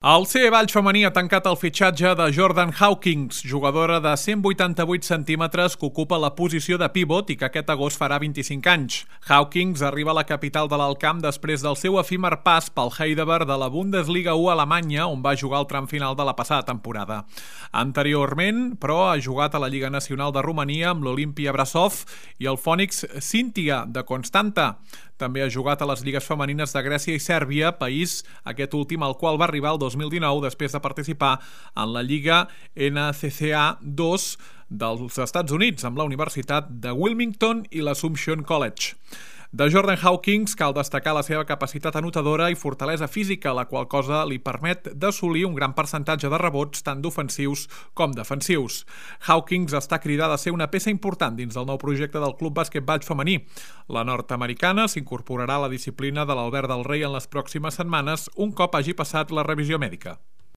El CE Valls femení ha tancat el fitxatge de Jordan Hawkins, jugadora de 188 centímetres que ocupa la posició de pivot i que aquest agost farà 25 anys. Hawkins arriba a la capital de l'Alt-Camp després del seu efímer pas pel Heidelberg de la Bundesliga 1 Alemanya, on va jugar el tram final de la passada temporada. Anteriorment, però, ha jugat a la Lliga Nacional de Romania amb l'Olimpia Brasov i el Phoenix Cynthia de Constanta. També ha jugat a les lligues femenines de Grècia i Sèrbia, país aquest últim al qual va arribar el 2019 després de participar en la Lliga NCCA 2 dels Estats Units amb la Universitat de Wilmington i l'Assumption College. De Jordan Hawkins cal destacar la seva capacitat anotadora i fortalesa física, la qual cosa li permet d'assolir un gran percentatge de rebots tant d'ofensius com defensius. Hawkins està cridada a ser una peça important dins del nou projecte del Club Bàsquet Valls femení. La nord-americana s'incorporarà a la disciplina de l'Albert del Rei en les pròximes setmanes, un cop hagi passat la revisió mèdica.